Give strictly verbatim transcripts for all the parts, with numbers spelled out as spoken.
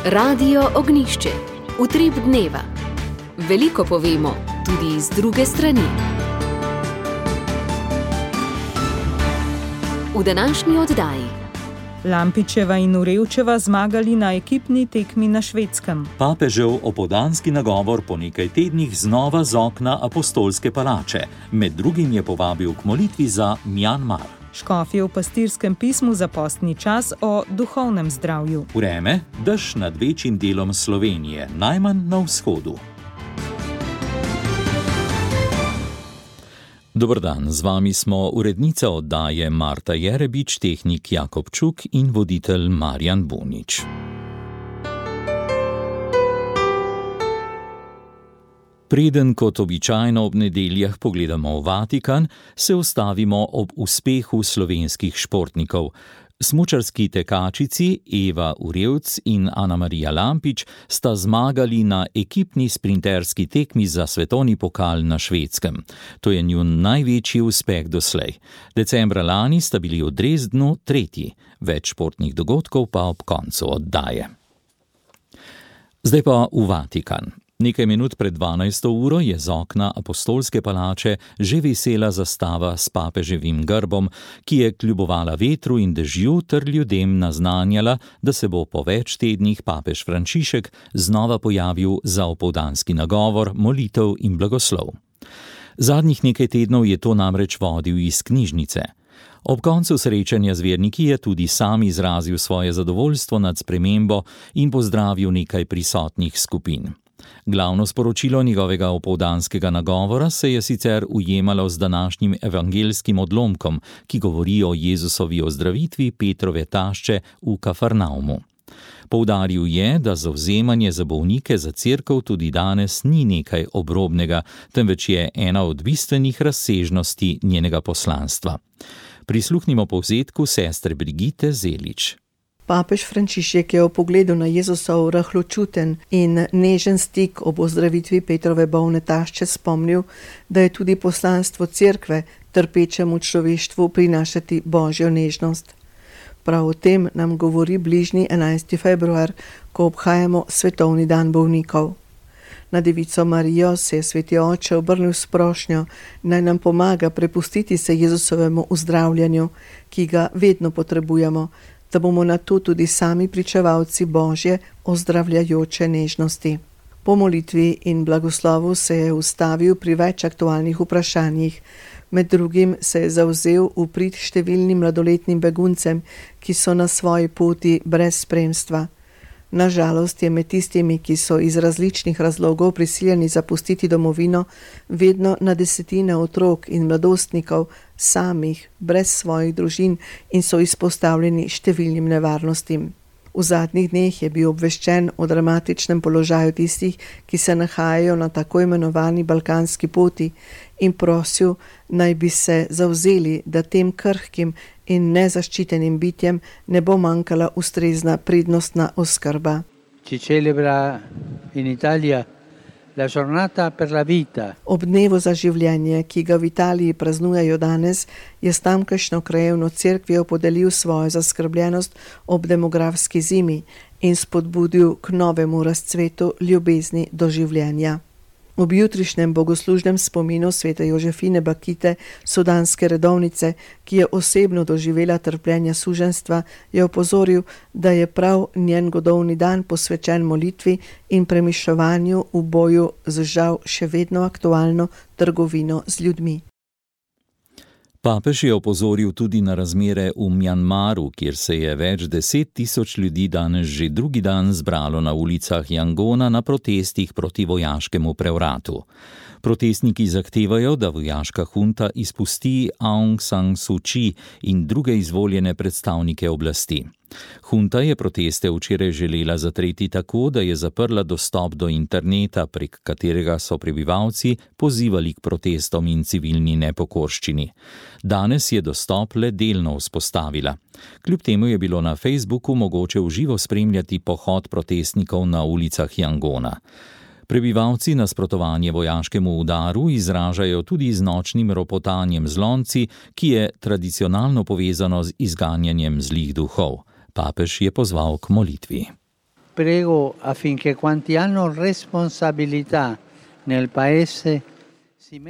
Radio Ognišče, utrip dneva. Veliko povemo, tudi iz druge strani. V današnji oddaji. Lampičeva in Urevčeva zmagali na ekipni tekmi na Švedskem. Papežev opoldanski nagovor po nekaj tednih znova z okna Apostolske palače. Med drugim je povabil k molitvi za Mjanmar. Škof je v pastirskem pismu za postni čas o duhovnem zdravju. Vreme, dež nad večjim delom Slovenije, najmanj na vzhodu. Dober dan, z vami smo urednica oddaje Marta Jerebič, tehnik Jakob Čuk in voditelj Marjan Bunič. Preden kot običajno ob nedeljah pogledamo v Vatikan, se ustavimo ob uspehu slovenskih športnikov. Smučarski tekačici Eva Urevc in Ana Marija Lampič sta zmagali na ekipni sprinterski tekmi za svetovni pokal na Švedskem. To je njun največji uspeh doslej. Decembra lani sta bili v Dresdnu tretji, več športnih dogodkov pa ob koncu oddaje. Zdaj pa v Vatikan. Nekaj minut pred dvanajsto uro je z okna Apostolske palače že visela zastava s papeževim grbom, ki je kljubovala vetru in dežju ter ljudem naznanjala, da se bo po več tednih papež Frančišek znova pojavil za opoldanski nagovor, molitev in blagoslov. Zadnjih nekaj tednov je to namreč vodil iz knjižnice. Ob koncu srečanja z verniki je tudi sam izrazil svoje zadovoljstvo nad spremembo in pozdravil nekaj prisotnih skupin. Glavno sporočilo njegovega opoldanskega nagovora se je sicer ujemalo z današnjim evangelskim odlomkom, ki govori o Jezusovi ozdravitvi Petrove tašče v Kafarnaumu. Poudaril je, da zavzemanje za bolnike za cerkev tudi danes ni nekaj obrobnega, temveč je ena od bistvenih razsežnosti njenega poslanstva. Prisluhnimo povzetku sestre Brigite Zelič. Papež Frančišek je v pogledu na Jezusov rahločuten in nežen stik ob ozdravitvi Petrove bolne tašče spomnil, da je tudi poslanstvo cerkve trpečemu človeštvu prinašati božjo nežnost. Prav o tem nam govori bližnji enajsti februar, ko obhajamo svetovni dan bolnikov. Na devico Marijo se je sveti oče obrnil s prošnjo, naj nam pomaga prepustiti se Jezusovemu uzdravljanju, ki ga vedno potrebujemo, da bomo na to tudi sami pričevalci Božje ozdravljajoče nežnosti. Po molitvi in blagoslovu se je ustavil pri več aktualnih vprašanjih. Med drugim se je zavzel v prid številnim mladoletnim beguncem, ki so na svoji poti brez spremstva. Na žalost je med tistimi, ki so iz različnih razlogov prisiljeni zapustiti domovino, vedno na desetine otrok in mladostnikov samih, brez svojih družin in so izpostavljeni številnim nevarnostim. V zadnjih dneh je bil obveščen o dramatičnem položaju tistih, ki se nahajajo na tako imenovani balkanski poti in prosil, naj bi se zavzeli, da tem krhkim in nezaščitenim bitjem ne bo manjkala ustrezna prednostna oskrba. Si celebra in Italija la giornata per la vita. Ob dnevu za življenje, ki ga v Italiji praznujejo danes, je s tamkajšnjo krajevno cerkvijo podelil svojo zaskrbljenost ob demografski zimi in spodbudil k novemu razcvetu ljubezni do življenja. Ob jutrišnjem bogoslužnem spominu svete Jožefine Bakite, sudanske redovnice, ki je osebno doživela trpljenja suženjstva, je opozoril, da je prav njen godovni dan posvečen molitvi in premišljovanju v boju z žal še vedno aktualno trgovino z ljudmi. Papež je opozoril tudi na razmere v Mjanmaru, kjer se je več deset tisoč ljudi danes že drugi dan zbralo na ulicah Jangona na protestih proti vojaškemu prevratu. Protestniki zahtevajo, da vojaška hunta izpusti Aung San Suu Kyi in druge izvoljene predstavnike oblasti. Hunta je proteste včeraj želela zatreti tako, da je zaprla dostop do interneta, prek katerega so prebivalci pozivali k protestom in civilni nepokorščini. Danes je dostop le delno vzpostavila. Kljub temu je bilo na Facebooku mogoče v živo spremljati pohod protestnikov na ulicah Jangona. Prebivalci nasprotovanje vojaškemu udaru izražajo tudi z nočnim ropotanjem z lonci, ki je tradicionalno povezano z izganjanjem zlih duhov. Papež je pozval k molitvi. prego affinché quanti hanno responsabilità nel paese.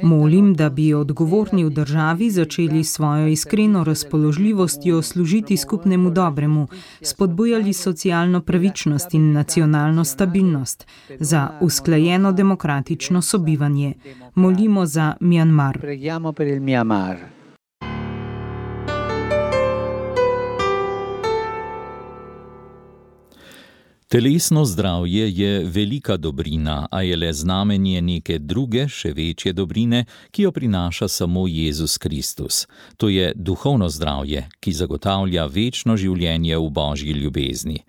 Molim, da bi odgovorni v državi začeli svojo iskreno razpoložljivostjo služiti skupnemu dobremu, spodbujali socialno pravičnost in nacionalno stabilnost, za usklajeno demokratično sobivanje. Molimo za Mjanmar. Preghiamo per il Myanmar. Telesno zdravje je velika dobrina, a je le znamenje neke druge, še večje dobrine, ki jo prinaša samo Jezus Kristus. To je duhovno zdravje, ki zagotavlja večno življenje v Božji ljubezni.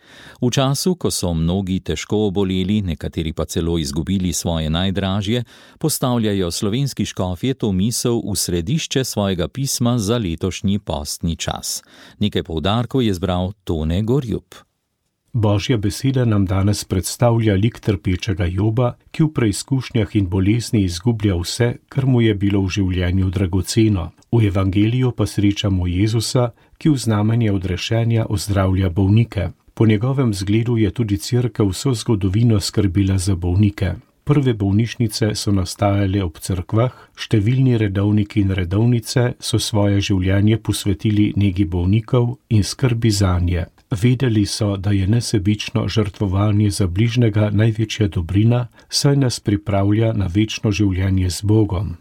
V času, ko so mnogi težko oboleli, nekateri pa celo izgubili svoje najdražje, postavljajo slovenski škofje to misel v središče svojega pisma za letošnji postni čas. Nekaj poudarkov je zbral Tone Gorjup. Božja beseda nam danes predstavlja lik trpečega Joba, ki v preizkušnjah in bolezni izgublja vse, kar mu je bilo v življenju dragoceno. V evangeliju pa srečamo Jezusa, ki v znamenje odrešenja ozdravlja bolnike. Po njegovem zgledu je tudi cerkev vso zgodovino skrbila za bolnike. Prve bolnišnice so nastajale ob cerkvah, številni redovniki in redovnice so svoje življenje posvetili negi bolnikov in skrbi zanje. Vedeli so, da je nesebično žrtvovanje za bližnjega največja dobrina, saj nas pripravlja na večno življenje z Bogom.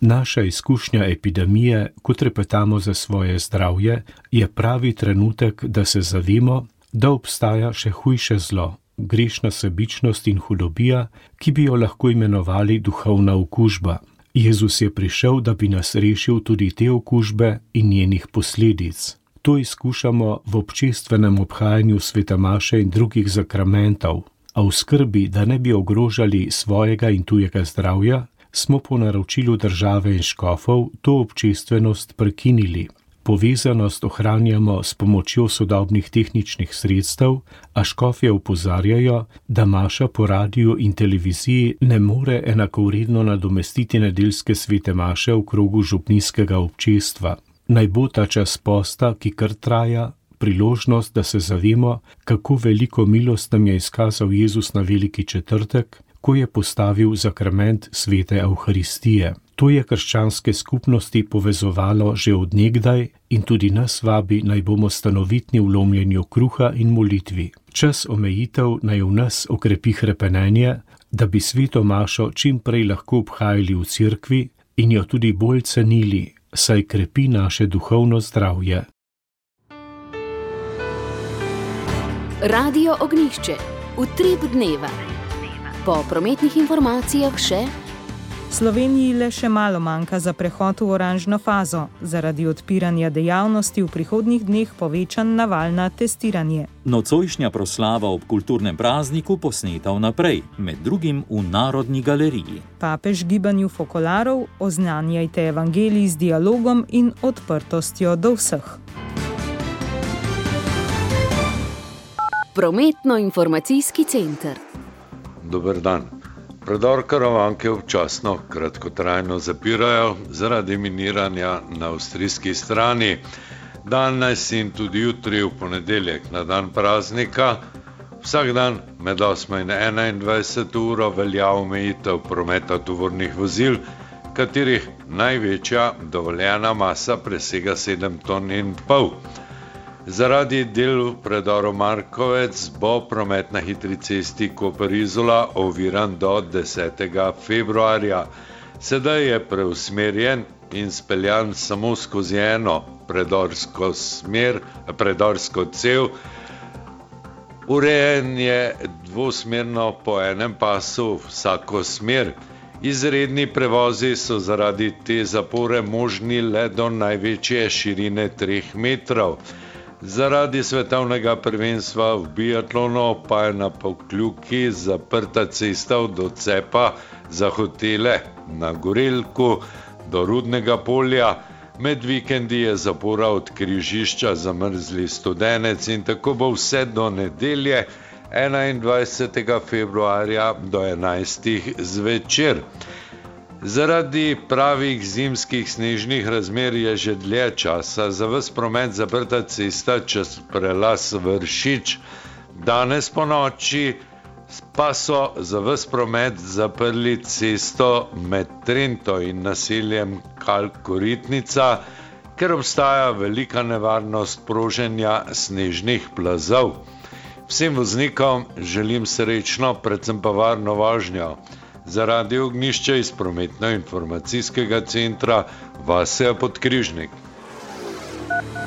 Naša izkušnja epidemije, ko trepetamo za svoje zdravje, je pravi trenutek, da se zavemo, da obstaja še hujše zlo, grešna sebičnost in hudobija, ki bi jo lahko imenovali duhovna okužba. Jezus je prišel, da bi nas rešil tudi te okužbe in njenih posledic. To izkušamo v občestvenem obhajanju svete maše in drugih zakramentov, a v skrbi, da ne bi ogrožali svojega in tujega zdravja, smo po naročilu države in škofov to občestvenost prekinili. Povezanost ohranjamo s pomočjo sodobnih tehničnih sredstev, a škofje opozarjajo, da maša po radiju in televiziji ne more enakovredno nadomestiti nedeljske svete maše v krogu župnijskega občestva. Naj bo ta čas posta, ki kar traja, priložnost, da se zavemo, kako veliko milost nam je izkazal Jezus na veliki četrtek, ko je postavil zakrament svete Evharistije. To je krščanske skupnosti povezovalo že od nekdaj in tudi nas vabi, naj bomo stanovitni v lomljenju kruha in molitvi. Čas omejitev naj v nas okrepi hrepenenje, da bi sveto mašo čim prej lahko obhajali v cerkvi in jo tudi bolj cenili, saj krepi naše duhovno zdravje. Radio Ognjišče, utrip dneva. Po prometnih informacijah še: Sloveniji le še malo manjka za prehod v oranžno fazo, zaradi odpiranja dejavnosti v prihodnjih dneh povečan naval na testiranje. Nocojšnja proslava ob kulturnem prazniku posneta vnaprej, med drugim v Narodni galeriji. Papež gibanju fokolarov: oznanjajte evangelij z dialogom in odprtostjo do vseh. Prometno-informacijski center. Dober dan. Predor Karavanke občasno kratkotrajno zapirajo zaradi miniranja na avstrijski strani. Danes in tudi jutri v ponedeljek na dan praznika vsak dan med osmo in enaindvajseto uro velja omejitev prometa tovornih vozil, katerih največja dovoljena masa presega sedem ton in pol. Zaradi del v predoru Markovec bo promet na hitri cesti Koper-Izola oviran do desetega februarja. Sedaj je preusmerjen in speljan samo skozi eno predorsko smer, predorsko cev. Urejen je dvosmerno po enem pasu vsako smer. Izredni prevozi so zaradi te zapore možni le do največje širine treh metrov. Zaradi svetovnega prvenstva v biatlonu pa je na Pokljuki zaprta cesta od odcepa za hotele na Gorelku do Rudnega polja. Med vikendi je zapora od križišča Zamrzli Studenec in tako bo vse do nedelje enaindvajsetega februarja do enajstih zvečer. Zaradi pravih zimskih snežnih razmer je že dlje časa za ves promet zaprta cesta čez prelaz Vršič Danes po noči pa so za ves promet zaprli cesto med Trento in naseljem Kalkoritnica, ker obstaja velika nevarnost proženja snežnih plazov. Vsem voznikom želim srečno, predvsem pa varno vožnjo. Za Radio Ognjišče iz prometno-informacijskega centra Vasja Podkrižnik.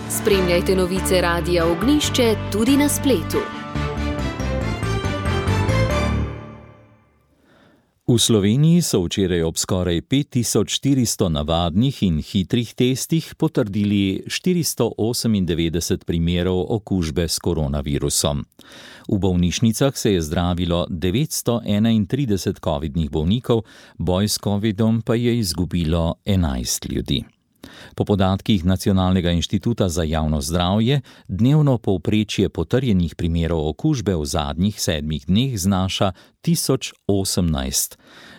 Spremljajte novice Radia Ognjišče tudi na spletu. V Sloveniji so včeraj ob skoraj pet tisoč štiristo navadnih in hitrih testih potrdili štiristo osemindevetdeset primerov okužbe s koronavirusom. V bolnišnicah se je zdravilo devetsto enaintrideset covidnih bolnikov, boj s covidom pa je izgubilo enajst ljudi. Po podatkih Nacionalnega inštituta za javno zdravje, dnevno povprečje potrjenih primerov okužbe v zadnjih sedmih dneh znaša tisoč osemnajst.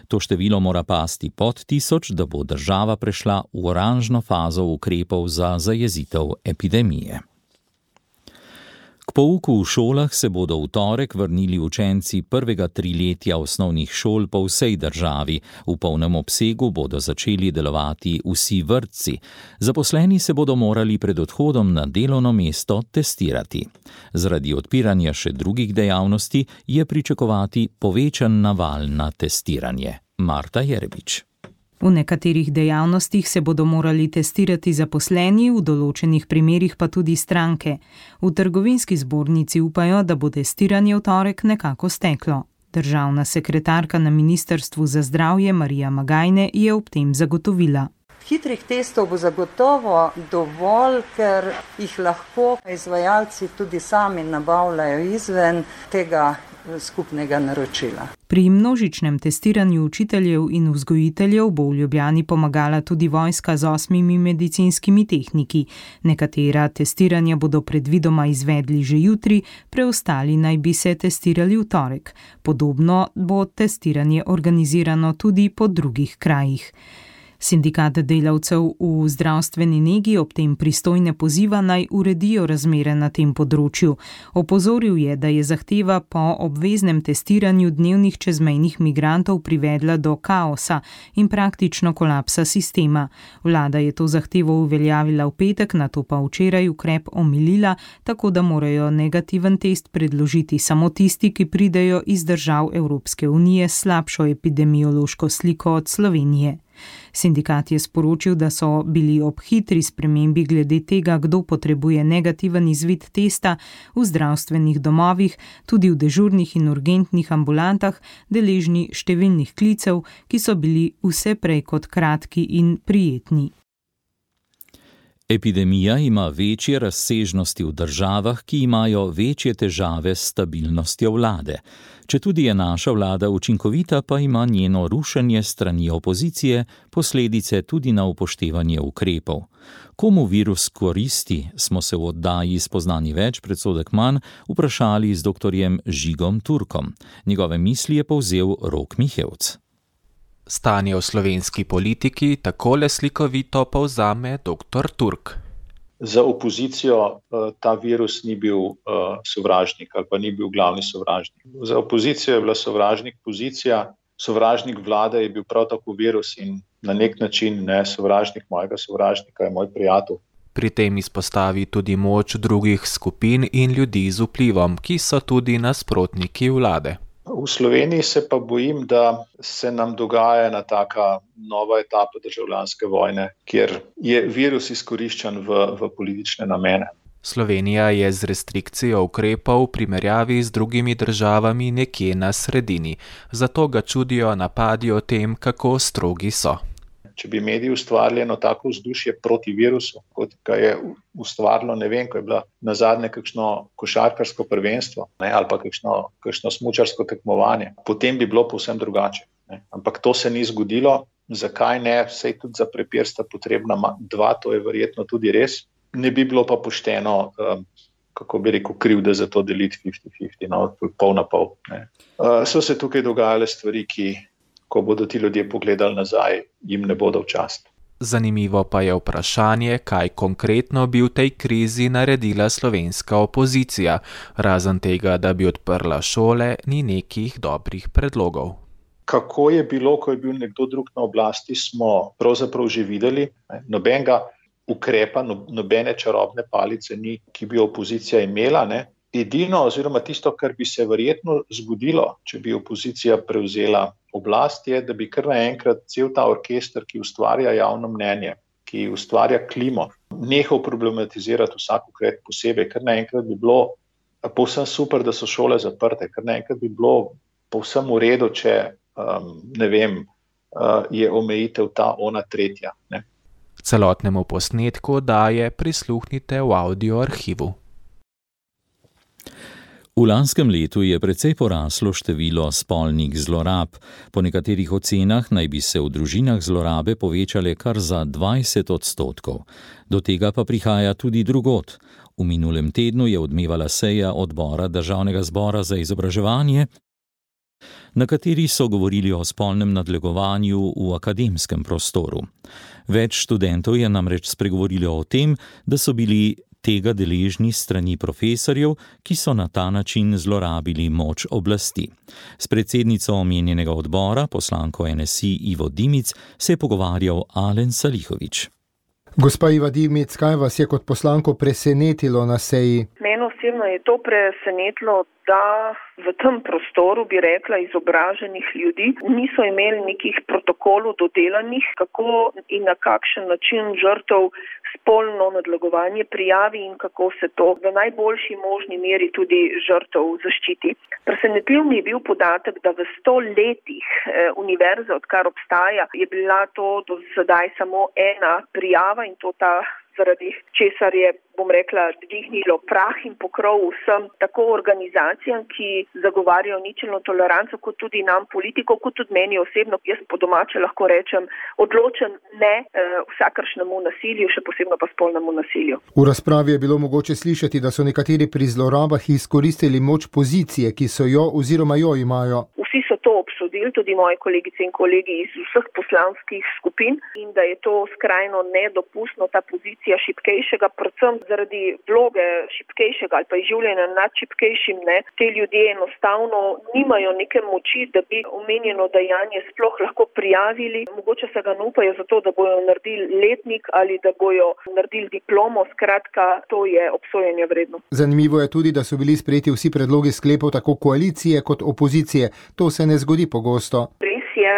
To število mora pasti pod tisoč, da bo država prešla v oranžno fazo ukrepov za zajezitev epidemije. K pouku v šolah se bodo v torek vrnili učenci prvega triletja osnovnih šol po vsej državi. V polnem obsegu bodo začeli delovati vsi vrtci. Zaposleni se bodo morali pred odhodom na delovno mesto testirati. Zaradi odpiranja še drugih dejavnosti je pričakovati povečan naval na testiranje. Marta Jerebič. V nekaterih dejavnostih se bodo morali testirati zaposleni, v določenih primerih pa tudi stranke. V trgovinski zbornici upajo, da bo testiranje v torek nekako steklo. Državna sekretarka na Ministrstvu za zdravje Marija Magajne je ob tem zagotovila. Hitrih testov bo zagotovo dovolj, ker jih lahko izvajalci tudi sami nabavljajo izven tega skupnega naročila. Pri množičnem testiranju učiteljev in vzgojiteljev bo v Ljubljani pomagala tudi vojska z osmimi medicinskimi tehniki. Nekatera testiranja bodo predvidoma izvedli že jutri, preostali naj bi se testirali v torek. Podobno bo testiranje organizirano tudi po drugih krajih. Sindikat delavcev v zdravstveni negi ob tem pristojne poziva naj uredijo razmere na tem področju. Opozoril je, da je zahteva po obveznem testiranju dnevnih čezmejnih migrantov privedla do kaosa in praktično kolapsa sistema. Vlada je to zahtevo uveljavila v petek, nato pa včeraj ukrep omilila, tako da morajo negativen test predložiti samo tisti, ki pridejo iz držav Evropske unije s slabšo epidemiološko sliko od Slovenije. Sindikat je sporočil, da so bili ob hitri spremembi glede tega, kdo potrebuje negativen izvid testa v zdravstvenih domovih, tudi v dežurnih in urgentnih ambulantah, deležni številnih klicev, ki so bili vse prej kot kratki in prijetni. Epidemija ima večje razsežnosti v državah, ki imajo večje težave s stabilnostjo vlade. Četudi je naša vlada učinkovita, pa ima njeno rušenje strani opozicije posledice tudi na upoštevanje ukrepov. Komu virus koristi, smo se v oddaji Spoznani več, predsodek manj vprašali z doktorjem Žigom Turkom. Njegove misli je povzel Rok Mihevc. Stanje v slovenski politiki takole slikovito povzame doktor Turk. Za opozicijo ta virus ni bil sovražnik ali pa ni bil glavni sovražnik. Za opozicijo je bila sovražnik pozicija, sovražnik vlade je bil prav tako virus in na nek način ne sovražnik mojega sovražnika je moj prijatelj. Pri tem izpostavi tudi moč drugih skupin in ljudi z vplivom, ki so tudi nasprotniki vlade. V Sloveniji se pa bojim, da se nam dogaja ena taka nova etapa državljanske vojne, kjer je virus izkoriščen v, v politične namene. Slovenija je z restrikcijo ukrepov v primerjavi z drugimi državami nekje na sredini, zato ga čudijo napadi o tem, kako strogi so. Če bi mediji ustvarili eno tako vzdušje proti virusu, kot ga je ustvarilo, ne vem, ko je bila nazadnje kakšno košarkarsko prvenstvo, ne, ali pa kakšno, kakšno smučarsko tekmovanje, potem bi bilo povsem drugače. Ne. Ampak to se ni zgodilo. Zakaj ne? Sej tudi za prepir sta potrebna dva, to je verjetno tudi res. Ne bi bilo pa pošteno, um, kako bi rekel, krivde za to deliti petdeset petdeset, no, pol na pol. Ne. Uh, so se tukaj dogajale stvari, ki ko bodo ti ljudje pogledali nazaj, jim ne bodo v čast. Zanimivo pa je vprašanje, kaj konkretno bi v tej krizi naredila slovenska opozicija. Razen tega, da bi odprla šole, ni nekih dobrih predlogov. Kako je bilo, ko je bil nekdo drug na oblasti, smo pravzaprav že videli. Nobenega ukrepa, nobene čarobne palice ni, ki bi opozicija imela. Ne. Edino oziroma tisto, kar bi se verjetno zgodilo, če bi opozicija prevzela oblast, je, da bi kar naenkrat cel ta orkester, ki ustvarja javno mnenje, ki ustvarja klimo, nehal problematizirati vsak ukrep posebej. Kar naenkrat bi bilo povsem super, da so šole zaprte, kar naenkrat bi bilo povsem v redu, če um, ne vem, uh, je omejitev ta ona tretja. Ne. Celotnemu posnetku daje prisluhnite v audio arhivu. V lanskem letu je precej poraslo število spolnih zlorab. Po nekaterih ocenah naj bi se v družinah zlorabe povečale kar za dvajset odstotkov. Do tega pa prihaja tudi drugod. V minulem tednu je odmevala seja odbora Državnega zbora za izobraževanje, na kateri so govorili o spolnem nadlegovanju v akademskem prostoru. Več študentov je namreč spregovorilo o tem, da so bili tega deležni strani profesorjev, ki so na ta način zlorabili moč oblasti. S predsednico omenjenega odbora, poslanko N S I Ivo Dimic, se je pogovarjal Alen Salihović. Gospa Iva Dimic, kaj vas je kot poslanko presenetilo na seji? Mene osebno je to presenetilo, da v tem prostoru, bi rekla, izobraženih ljudi niso imeli nekih protokolov dodelanih, kako in na kakšen način žrtev spolno nadlegovanje prijavi in kako se to v najboljši možni meri tudi žrtev zaščiti. Presenetljiv mi je bil podatek, da v sto letih eh, univerze, odkar obstaja, je bila to do sedaj samo ena prijava in to ta zaradi česar je, bom rekla, dvignilo prah in pokrov vsem, tako organizacijam, ki zagovarjajo ničelno toleranco, kot tudi nam politikov, kot tudi meni osebno, jaz po domače lahko rečem, odločen ne eh, vsakršnemu nasilju, še posebno pa spolnemu nasilju. V razpravi je bilo mogoče slišati, da so nekateri pri zlorabah izkoristili moč pozicije, ki so jo oziroma jo imajo. Vsi so to obsodili, tudi moji kolegice in kolegi iz vseh poslanskih skupin, in da je to skrajno nedopustno, ta pozicija šibkejšega, predvsem zaradi vloge šibkejšega ali pa izživljanja nad šibkejšim, ne, te ljudje enostavno nimajo neke moči, da bi omenjeno dejanje sploh lahko prijavili. Mogoče se ga ne upajo zato, da bojo naredili letnik ali da bojo naredili diplomo, skratka, to je obsojanja vredno. Zanimivo je tudi, da so bili sprejeti vsi predlogi sklepov tako koalicije kot opozicije. To se ne zgodi pogosto. Res je,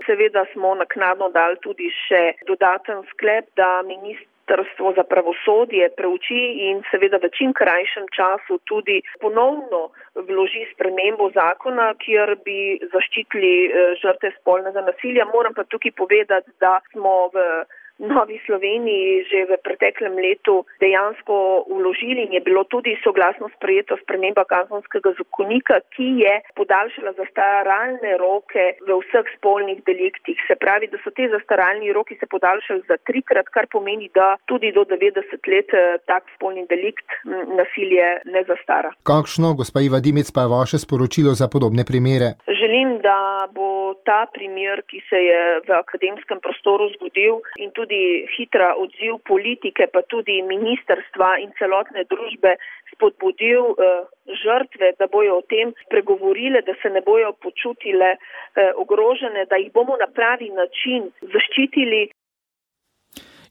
seveda smo naknadno dali tudi še dodaten sklep, da Ministrstvo za pravosodje preuči in seveda v čim krajšem času tudi ponovno vloži spremembo zakona, kjer bi zaščitili žrtve spolnega nasilja. Moram pa tukaj povedati, da smo v Novi Sloveniji že v preteklem letu dejansko vložili in je bilo tudi soglasno sprejeto sprememba kazenskega zakonika, ki je podaljšala zastaralne roke v vseh spolnih deliktih. Se pravi, da so te zastaralni roki se podaljšali za trikrat, kar pomeni, da tudi do devetdeset let tak spolni delikt nasilje ne zastara. Kakšno, gospa Iva Dimic, pa je vaše sporočilo za podobne primere? Želim, da bo ta primer, ki se je v akademskem prostoru zgodil, in tudi tudi hitra odziv politike, pa tudi ministrstva in celotne družbe spodbudil eh, žrtve, da bojo o tem spregovorile, da se ne bojo počutile eh, ogrožene, da jih bomo na pravi način zaščitili.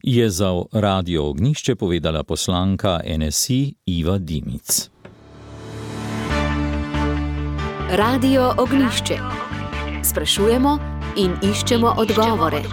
Je za Radio Ognjišče povedala poslanka N S I Iva Dimic. Radio Ognjišče. Sprašujemo in iščemo odgovore.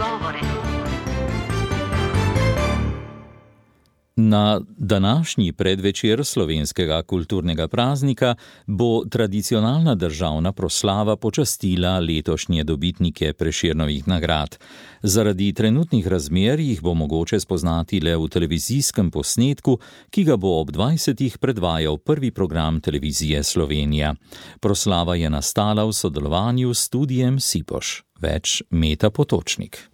Na današnji predvečer slovenskega kulturnega praznika bo tradicionalna državna proslava počastila letošnje dobitnike Prešernovih nagrad. Zaradi trenutnih razmer jih bo mogoče spoznati le v televizijskem posnetku, ki ga bo ob dvajsetih predvajal prvi program Televizije Slovenija. Proslava je nastala v sodelovanju s studiem Sipoš. Več Meta Potočnik.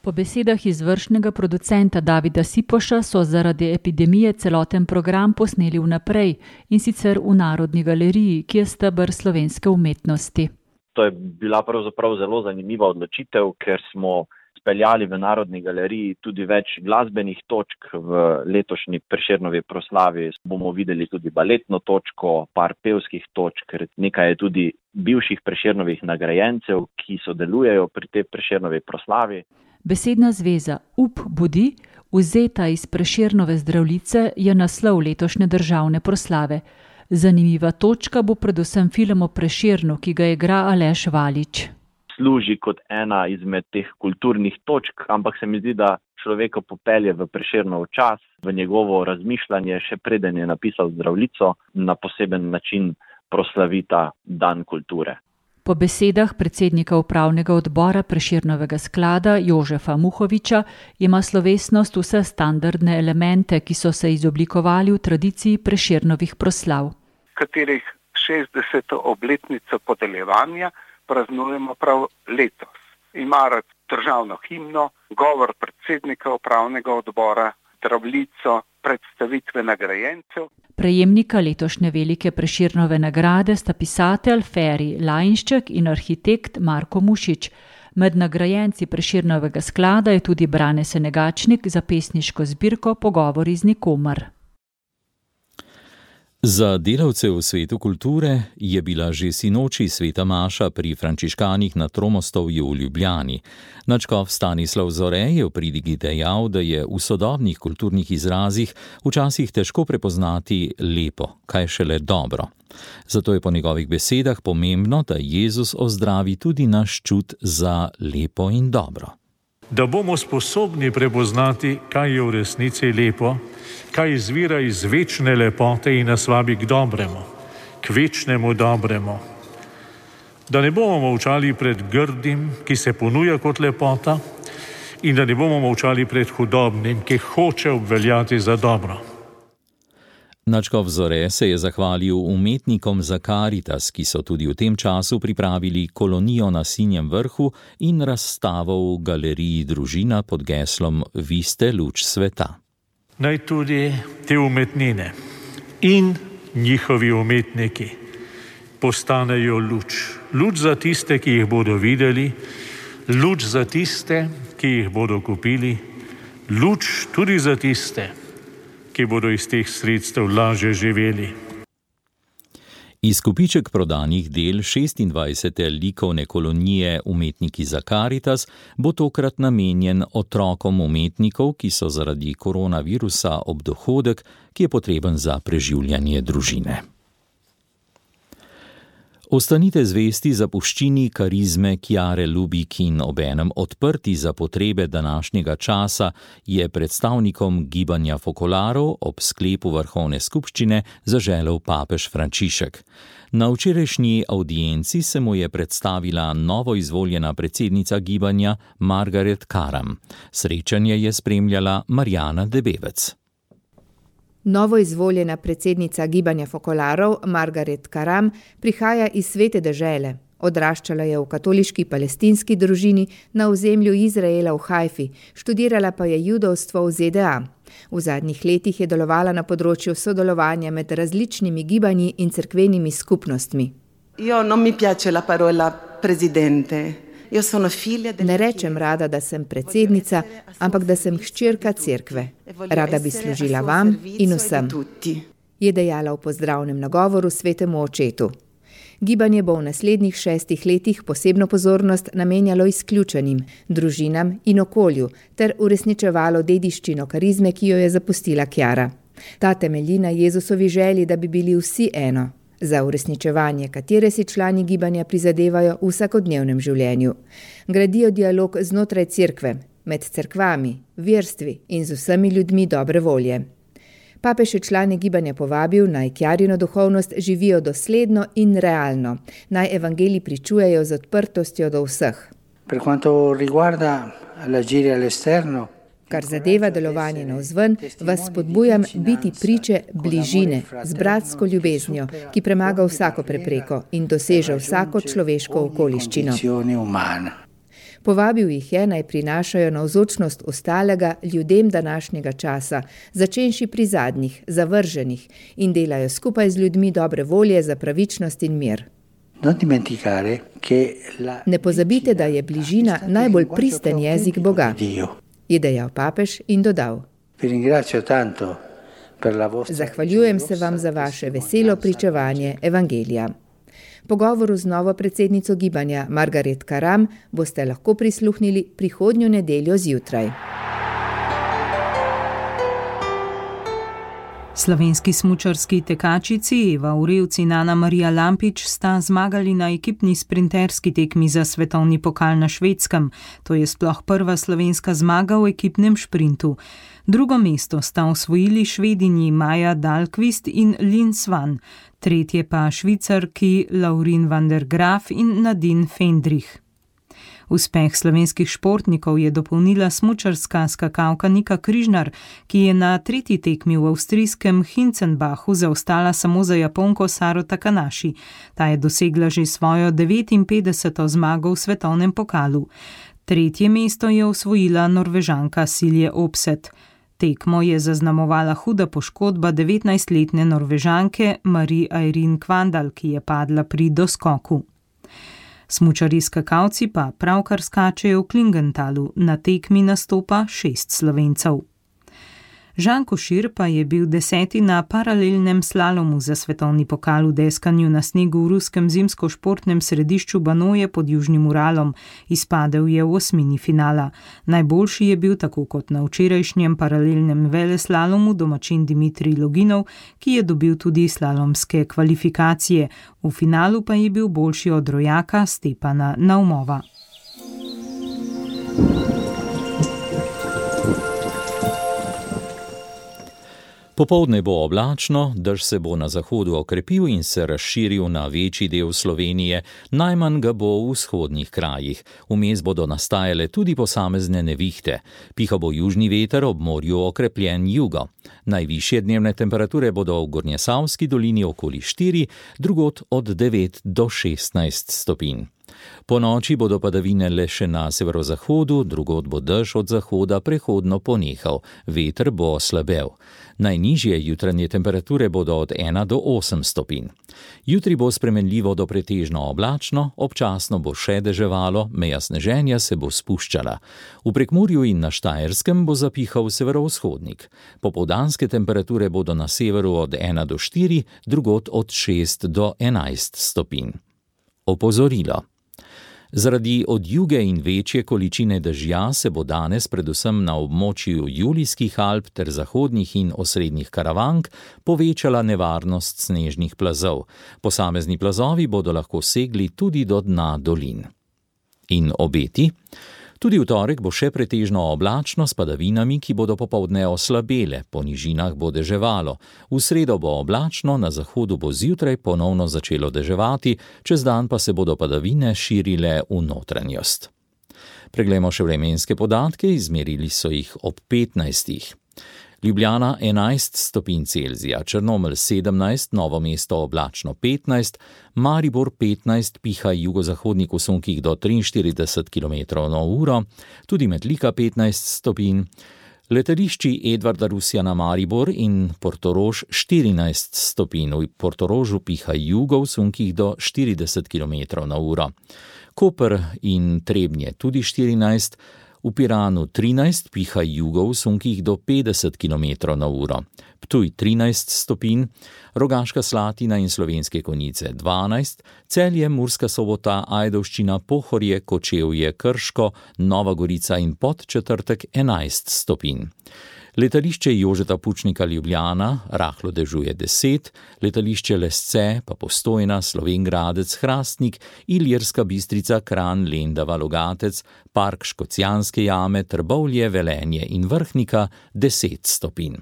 Po besedah izvršnega producenta Davida Sipoša so zaradi epidemije celoten program posneli vnaprej, in sicer v Narodni galeriji, ki je steber slovenske umetnosti. To je bila pravzaprav zelo zanimiva odločitev, ker smo izpeljali v Narodni galeriji tudi več glasbenih točk. V letošnji Prešernovi proslavi bomo videli tudi baletno točko, par pevskih točk, nekaj je tudi bivših Prešernovih nagrajencev, ki sodelujejo pri tej Prešernovi proslavi. Besedna zveza Up budi, vzeta iz Prešernove Zdravljice, je naslov letošnje državne proslave. Zanimiva točka bo predvsem film o Prešernu, ki ga igra Aleš Valič. Služi kot ena izmed teh kulturnih točk, ampak se mi zdi, da človeka popelje v Prešernov čas, v njegovo razmišljanje, še preden je napisal Zdravljico, na poseben način proslavita Dan kulture. Po besedah predsednika upravnega odbora Prešernovega sklada Jožefa Muhoviča ima slovesnost vse standardne elemente, ki so se izoblikovali v tradiciji Prešernovih proslav. Katerih šestdeseto obletnico podeljevanja praznujemo prav letos. Ima rad državno himno, govor predsednika upravnega odbora, Zdravljico, predstavitve nagrajencev. Prejemnika letošnje velike Prešernove nagrade sta pisatelj Feri Lajnšček in arhitekt Marko Mušič. Med nagrajenci Prešernovega sklada je tudi Brane Senegačnik za pesniško zbirko Pogovori z nikomer. Za delavce v svetu kulture je bila že sinoči sveta maša pri frančiškanih na Tromostovju v Ljubljani. Nadškof Stanislav Zore je v pridigi dejal, da je v sodobnih kulturnih izrazih včasih težko prepoznati lepo, kaj šele dobro. Zato je po njegovih besedah pomembno, da Jezus ozdravi tudi naš čut za lepo in dobro. Da bomo sposobni prepoznati, kaj je v resnici lepo, kaj izvira iz večne lepote in nas vabi k dobremu, k večnemu dobremu. Da ne bomo molčali pred grdim, ki se ponuja kot lepota, in da ne bomo molčali pred hudobnim, ki hoče obveljati za dobro. Nadškof Zore se je zahvalil umetnikom za Karitas, ki so tudi v tem času pripravili kolonijo na Sinjem vrhu in razstavo v galeriji Družina pod geslom Vi ste luč sveta. Naj tudi te umetnine in njihovi umetniki postanejo luč. Luč za tiste, ki jih bodo videli, luč za tiste, ki jih bodo kupili, luč tudi za tiste, ki bodo iz teh sredstev lažje živeli. Izkupiček prodanih del šestindvajsete likovne kolonije Umetniki za Karitas bo tokrat namenjen otrokom umetnikov, ki so zaradi koronavirusa ob dohodek, ki je potreben za preživljanje družine. Ostanite zvesti zapuščini karizme Chiare Lubich in obenem odprti za potrebe današnjega časa, je predstavnikom gibanja Focolarov ob sklepu vrhovne skupščine zaželel papež Frančišek. Na včerajšnji avdienci se mu je predstavila novoizvoljena predsednica gibanja Margaret Karam. Srečanje je spremljala Marjana Debevec. Novoizvoljena predsednica gibanja Focolarov Margaret Karam prihaja iz svete dežele. Odraščala je v katoliški palestinski družini na ozemlju Izraela v Haifi, študirala pa je judovstvo v Z D A. V zadnjih letih je delovala na področju sodelovanja med različnimi gibanji in cerkvenimi skupnostmi. Io non mi piace la parola presidente. Ne rečem rada, da sem predsednica, ampak da sem hčerka cerkve. Rada bi služila vam in vsem, je dejala v pozdravnem nagovoru svetemu očetu. Gibanje bo v naslednjih šestih letih posebno pozornost namenjalo izključenim, družinam in okolju ter uresničevalo dediščino karizme, ki jo je zapustila Chiara. Ta temelji na Jezusovi želji, da bi bili vsi eno, za uresničevanje katere si člani gibanja prizadevajo v vsakodnevnem življenju. Gradijo dialog znotraj cerkve, med cerkvami, verstvi in z vsemi ljudmi dobre volje. Papež je člane gibanja povabil, naj Chiarino duhovnost živijo dosledno in realno, naj evangelij pričujejo z odprtostjo do vseh. Per quanto riguarda l'agire all'esterno, Kar zadeva delovanje navzven, vas spodbujam biti priče bližine z bratsko ljubeznijo, ki premaga vsako prepreko in doseže vsako človeško okoliščino. Povabil jih je, naj prinašajo navzočnost ostalega ljudem današnjega časa, začenši pri zadnjih, zavrženih in delajo skupaj z ljudmi dobre volje za pravičnost in mir. Ne pozabite, da je bližina najbolj pristen jezik Boga, je dejal papež in dodal: Zahvaljujem se vam za vaše veselo pričevanje evangelija. Pogovoru z novo predsednico gibanja Margaret Karam boste lahko prisluhnili prihodnjo nedeljo zjutraj. Slovenski smučarski tekačici Eva Urevc in Ana Marija Lampič sta zmagali na ekipni sprinterski tekmi za svetovni pokal na Švedskem. To je sploh prva slovenska zmaga v ekipnem šprintu. Drugo mesto sta osvojili Švedinji Maja Dahlqvist in Lin Svan, tretje pa Švicarki Laurin van der Graaf in Nadine Fendrich. Uspeh slovenskih športnikov je dopolnila smučarska skakalka Nika Križnar, ki je na tretji tekmi v avstrijskem Hinzenbachu zaostala samo za Japonko Saro Takanashi. Ta je dosegla že svojo devetinpetdeseto zmago v svetovnem pokalu. Tretje mesto je osvojila Norvežanka Silje Opset. Tekmo je zaznamovala huda poškodba devetnajstletne Norvežanke Marie Eirin Kvandal, ki je padla pri doskoku. Smučarji skakalci pa pravkar skačejo v Klingentalu, na tekmi nastopa šest Slovencev. Žan Košir pa je bil deseti na paralelnem slalomu za svetovni pokal v deskanju na snegu v ruskem zimsko-športnem središču Banoje pod Južnim Uralom. Izpadel je v osmini finala. Najboljši je bil, tako kot na včerajšnjem paralelnem veleslalomu, domačin Dimitrij Loginov, ki je dobil tudi slalomske kvalifikacije. V finalu pa je bil boljši od rojaka Stepana Naumova. Popoldne bo oblačno, dež se bo na zahodu okrepil in se razširil na večji del Slovenije, najmanj ga bo v vzhodnih krajih. Vmes bodo nastajale tudi posamezne nevihte. Piha bo južni veter, ob morju okrepljen jugo. Najvišje dnevne temperature bodo v Gornjesavski dolini okoli štiri, drugod od devet do šestnajst stopinj. Po noči bodo padavine le še na severozahodu, drugod bo dež od zahoda prehodno ponehal, veter bo slabel. Najnižje jutranje temperature bodo od ena do osem stopinj. Jutri bo spremenljivo do pretežno oblačno, občasno bo še deževalo, meja sneženja se bo spuščala. V Prekmurju in na Štajerskem bo zapihal severovzhodnik. Popoldanske temperature bodo na severu od ena do štiri, drugod od šest do enajst stopinj. Opozorilo. Zaradi odjuge in večje količine dežja se bo danes predvsem na območju Julijskih Alp ter zahodnih in osrednjih Karavank povečala nevarnost snežnih plazov. Posamezni plazovi bodo lahko segli tudi do dna dolin. In obeti? Tudi v torek bo še pretežno oblačno s padavinami, ki bodo popoldne oslabele, po nižinah bo deževalo. V sredo bo oblačno, na zahodu bo zjutraj ponovno začelo deževati, čez dan pa se bodo padavine širile v notranjost. Preglejmo še vremenske podatke, izmerili so jih ob petnajstih. Ljubljana enajst stopinj Celzija, Črnomelj sedemnajst, Novo mesto oblačno petnajst, Maribor petnajst, piha jugozahodnik v sunkih do triinštirideset kilometrov na uro, tudi Metlika petnajst stopinj, letališči Edvarda Rusjana Maribor in Portorož štirinajst stopinj, v Portorožu piha jugo v sunkih do štirideset kilometrov na uro, Koper in Trebnje tudi štirinajst, v Piranu trinajst, piha jugo v sunkih do petdeset kilometrov na uro, Ptuj trinajst stopinj, Rogaška Slatina in Slovenske Konjice dvanajst, Celje, Murska Sobota, Ajdovščina, Pohorje, Kočevje, Krško, Nova Gorica in Podčetrtek enajst stopinj. Letališče Jožeta Pučnika Ljubljana rahlo dežuje deset, letališče Lesce pa Postojna, Slovenj Gradec, Hrastnik, Ilirska Bistrica, Kranj, Lendava, Logatec, Park Škocjanske jame, Trbovlje, Velenje in Vrhnika deset stopinj.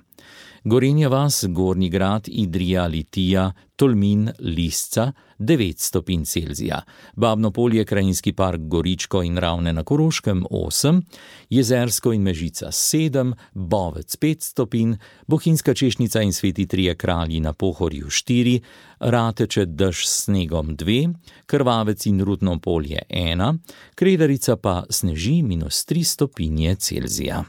Gorenja vas, Gornji Grad, Idrija, Litija, Tolmin, Lisca devet stopinj Celzija, Babno Polje, Krajinski park Goričko in Ravne na Koroškem osem, Jezersko in Mežica sedem, Bovec pet stopinj, Bohinjska Češnica in Sveti Trije Kralji na Pohorju štiri, Rateče dež s snegom dve, Krvavec in Rudno Polje ena, Kredarica pa sneži minus tri stopinje Celzija.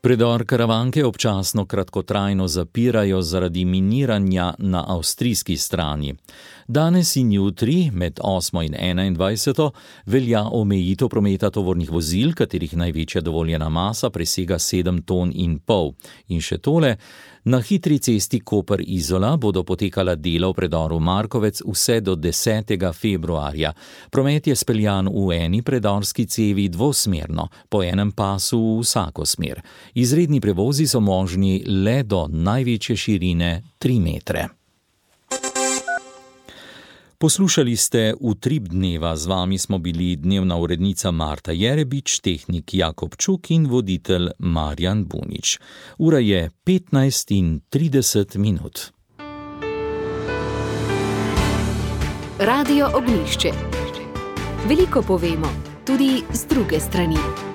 Predor Karavanke občasno kratkotrajno zapirajo zaradi miniranja na avstrijski strani. Danes in jutri, med osmo in enaindvajseto, velja omejitev prometa tovornih vozil, katerih največja dovoljena masa presega sedem ton in pol. In še tole, na hitri cesti Koper-Izola bodo potekala dela v predoru Markovec vse do desetega februarja. Promet je speljan v eni predorski cevi dvosmerno, po enem pasu v vsako smer. Izredni prevozi so možni le do največje širine tri metre. Poslušali ste Utrip dneva, z vami smo bili dnevna urednica Marta Jerebič, tehnik Jakob Čuk in voditelj Marjan Bunič. Ura je petnajst in trideset minut. Radio Ognjišče. Veliko povemo, tudi z druge strani.